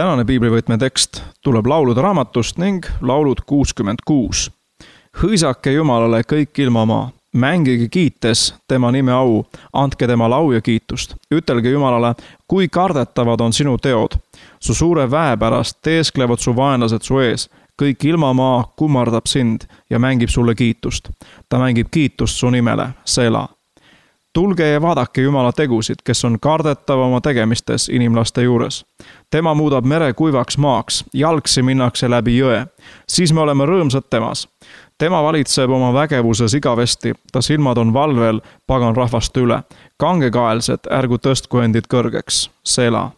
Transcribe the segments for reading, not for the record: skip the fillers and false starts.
Tänane piiblivõtme tekst tuleb laulude raamatust ning laulud 66. Hõisake Jumalale kõik ilmamaa, mängige kiites tema nime au, andke tema lau ja kiitust. Ütelge Jumalale, kui kardetavad on sinu teod. Su suure väe pärast teesklevad su vaenlased su ees. Kõik ilmamaa kummardab sind ja mängib sulle kiitust. Ta mängib kiitust su nimele, Sela. Tulge ja vaadake Jumala tegusid, kes on kardetav oma tegemistes inimlaste juures. Tema muudab mere kuivaks maaks, jalgsi minnakse läbi jõe. Siis me oleme rõõmsad temas. Tema valitseb oma vägevuses igavesti, ta silmad on valvel pagan rahvaste üle. Kangekaelsed, ärgu tõstku endid kõrgeks, Sela.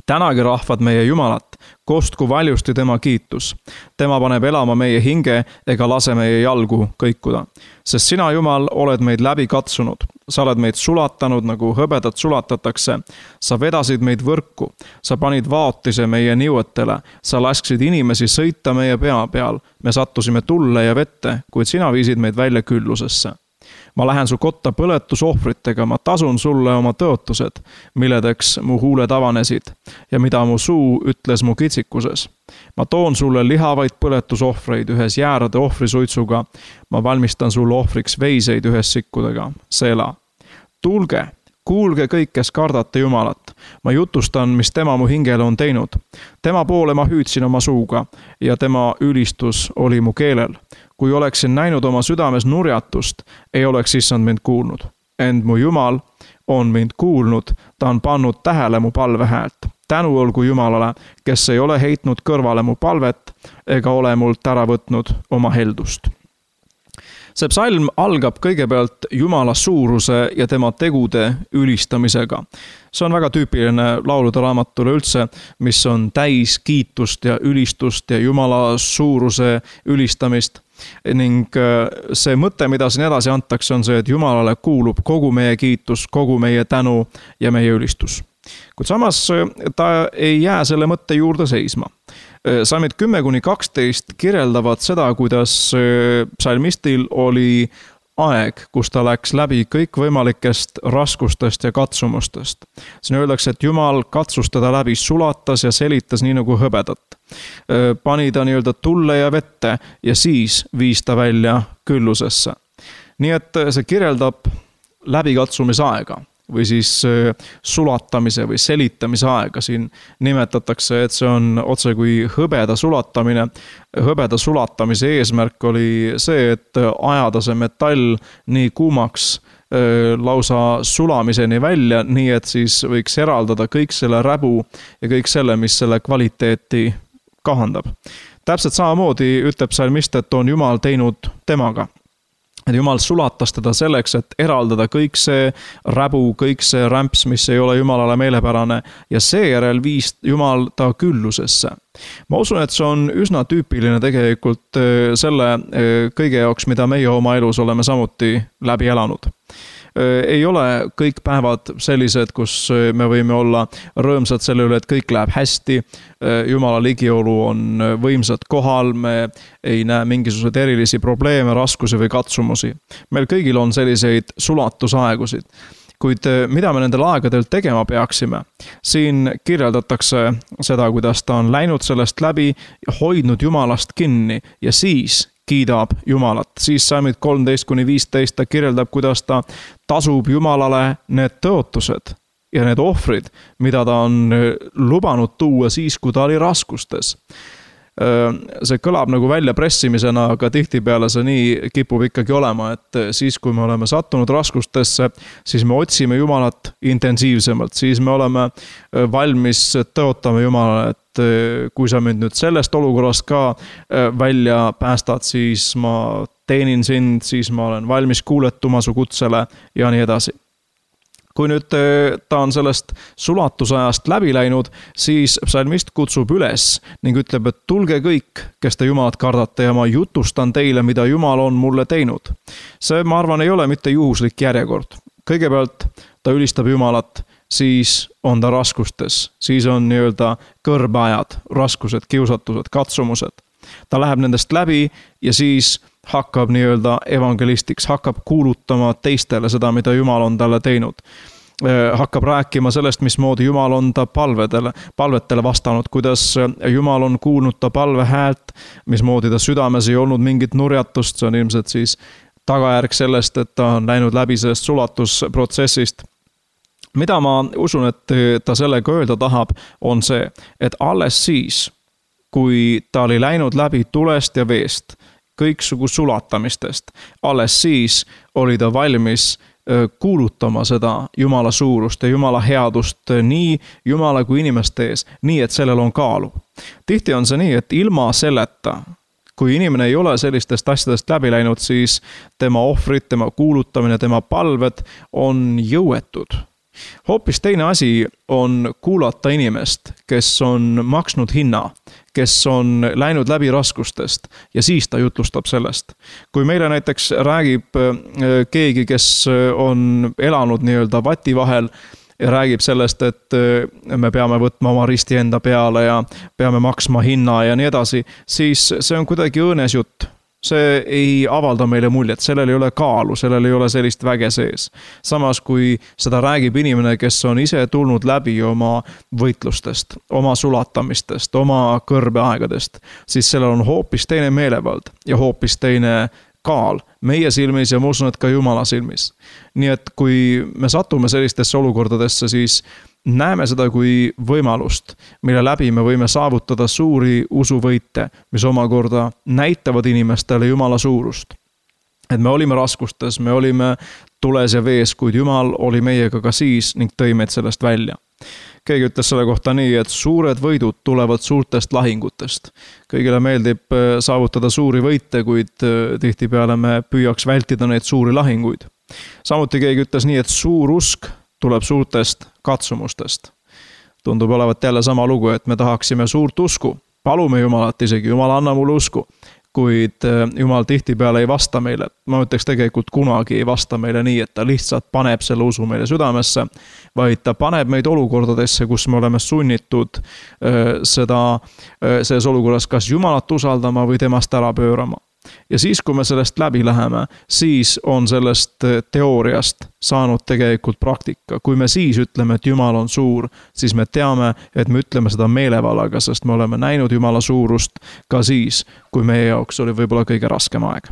Tänagi rahvad meie Jumalat, kostku valjusti tema kiitus. Tema paneb elama meie hinge ega lase meie jalgu kõikuda. Sest sina, Jumal, oled meid läbi katsunud. Sa oled meid sulatanud, nagu hõbedat sulatatakse. Sa vedasid meid võrku. Sa panid vaotise meie niuetele. Sa lasksid inimesi sõita meie pea peal. Me sattusime tulle ja vette, kuid sina viisid meid välja küllusesse. Ma lähen su kotta põletusohvritega, ma tasun sulle oma tõotused, milledeks mu huuled avanesid ja mida mu suu ütles mu kitsikuses. Ma toon sulle lihavaid põletusohvreid ühes jäärade ohvrisuitsuga, ma valmistan sulle ohvriks veiseid ühes sikkudega, Sela. Tulge, kuulge kõik, kes kardate Jumalat. Ma jutustan, mis tema mu hingele on teinud. Tema poole ma hüüdsin oma suuga ja tema ülistus oli mu keelel. Kui oleksin näinud oma südames nurjatust, ei oleks issand mind kuulnud. Ent mu Jumal on mind kuulnud, ta on pannud tähele mu palvehäält. Tänu olgu Jumalale, kes ei ole heitnud kõrvale mu palvet ega ole mult ära võtnud oma heldust. See psalm algab kõigepealt Jumala suuruse ja tema tegude ülistamisega. See on väga tüüpiline laulude raamatule üldse, mis on täis kiitust ja ülistust ja Jumala suuruse ülistamist. Ning see mõte, mida siin edasi antakse, on see, et Jumalale kuulub kogu meie kiitus, kogu meie tänu ja meie ülistus. Kuid samas ta ei jää selle mõtte juurde seisma. Salmid 10-12 kirjeldavad seda, kuidas psalmistil oli aeg, kus ta läks läbi kõikvõimalikest raskustest ja katsumustest. Siin öeldakse, et Jumal katsus teda läbi, sulatas ja selitas nii nagu hõbedat. Pani ta nii-öelda tulle ja vette ja siis viis ta välja küllusesse. Nii et see kirjeldab läbikatsumisaega või siis sulatamise või selitamise aega. Siin nimetatakse, et see on otse kui hõbeda sulatamine. Hõbeda sulatamise eesmärk oli see, et ajada see metall nii kuumaks lausa sulamiseni välja, nii et siis võiks eraldada kõik selle räbu ja kõik selle, mis selle kvaliteeti kahandab. Täpselt samamoodi ütleb psalmist, et on Jumal teinud temaga. Et Jumal sulatas teda selleks, et eraldada kõik see räbu, kõik see rämps, mis ei ole Jumalale meelepärane ja seejärel viis Jumal ta küllusesse. Ma usun, et see on üsna tüüpiline tegelikult selle kõige jaoks, mida meie oma elus oleme samuti läbi elanud. Ei ole kõik päevad sellised, kus me võime olla rõõmsad selle üle, et kõik läheb hästi. Jumala ligiolu on võimsad kohal, me ei näe mingisugused erilisi probleeme, raskusi või katsumusi. Meil kõigil on selliseid sulatusaegusid. Kuid mida me nendel aegadel tegema peaksime? Siin kirjeldatakse seda, kuidas ta on läinud sellest läbi, hoidnud Jumalast kinni ja siis kiidab Jumalat. Siis salmid 13-15 ta kirjeldab, kuidas ta tasub Jumalale need tõotused ja need ohvrid, mida ta on lubanud tuua siis, kui ta oli raskustes. See kõlab nagu väljapressimisena, aga tihtipeale see nii kipub ikkagi olema, et siis, kui me oleme sattunud raskustesse, siis me otsime Jumalat intensiivsemalt, siis me oleme valmis tõotama Jumalale, et kui sa mind nüüd sellest olukorrast ka välja päästad, siis ma teenin sind, siis ma olen valmis kuuletuma su kutsele ja nii edasi. Kui nüüd ta on sellest sulatusajast läbi läinud, siis psalmist kutsub üles ning ütleb, et tulge kõik, kes te Jumalat kardate ja ma jutustan teile, mida Jumal on mulle teinud. See, ma arvan, ei ole mitte juhuslik järjekord. Kõigepealt ta ülistab Jumalat, siis on ta raskustes, siis on nii-öelda kõrbeajad, raskused, kiusatused, katsumused. Ta läheb nendest läbi ja siis hakkab nii-öelda evangelistiks, hakkab kuulutama teistele seda, mida Jumal on talle teinud. hakkab rääkima sellest, mismoodi Jumal on ta palvetele vastanud, kuidas Jumal on kuulnud ta palve häält, mismoodi ta südames ei olnud mingit nurjatust, see on ilmselt siis tagajärg sellest, et ta on läinud läbi sellest sulatusprotsessist. Mida ma usun, et ta sellega öelda tahab, on see, et alles siis, kui ta oli läinud läbi tulest ja veest, kõiksugu sulatamistest, alles siis oli ta valmis kuulutama seda Jumala suurust ja Jumala headust nii Jumala kui inimeste ees, nii et sellel on kaalu. Tihti on see nii, et ilma selleta, kui inimene ei ole sellistest asjadest läbi läinud, siis tema ohvrid, tema kuulutamine, tema palved on jõuetud. Hoopis teine asi on kuulata inimest, kes on maksnud hinna, kes on läinud läbi raskustest ja siis ta jutlustab sellest. Kui meile näiteks räägib keegi, kes on elanud nii-öelda vati vahel ja räägib sellest, et me peame võtma oma risti enda peale ja peame maksma hinna ja nii edasi, siis see on kuidagi õõnes jutt. See ei avalda meile muljet, sellel ei ole kaalu, sellel ei ole sellist väge sees. Samas kui seda räägib inimene, kes on ise tulnud läbi oma võitlustest, oma sulatamistest, oma kõrbeaegadest, siis sellel on hoopis teine meelevald ja hoopis teine kaal meie silmis ja ma usun, et ka Jumala silmis. Nii et kui me satume sellistesse olukordadesse, siis näeme seda kui võimalust, mille läbi me võime saavutada suuri usuvõite, mis omakorda näitavad inimestele Jumala suurust. Et me olime raskustes, me olime tules ja vees, kuid Jumal oli meiega ka siis ning tõi meid sellest välja. Keegi ütles selle kohta nii, et suured võidud tulevad suurtest lahingutest. Kõigile meeldib saavutada suuri võite, kuid tihtipeale me püüaks vältida neid suuri lahinguid. Samuti keegi ütles nii, et suur usk tuleb suurtest katsumustest. Tundub olevat jälle sama lugu, et me tahaksime suurt usku. Palume Jumalat isegi, Jumal anna mulle usku. Kuid Jumal tihtipeale ei vasta meile. Ma ütleks tegelikult kunagi ei vasta meile nii, et ta lihtsalt paneb selle usu meile südamesse, vaid ta paneb meid olukordadesse, kus me oleme sunnitud selles olukorras kas Jumalat usaldama või temast ära pöörama. Ja siis, kui me sellest läbi läheme, siis on sellest teooriast saanud tegelikult praktika. Kui me siis ütleme, et Jumal on suur, siis me teame, et me ütleme seda meelevalaga, sest me oleme näinud Jumala suurust ka siis, kui meie jaoks oli võib-olla kõige raskem aeg.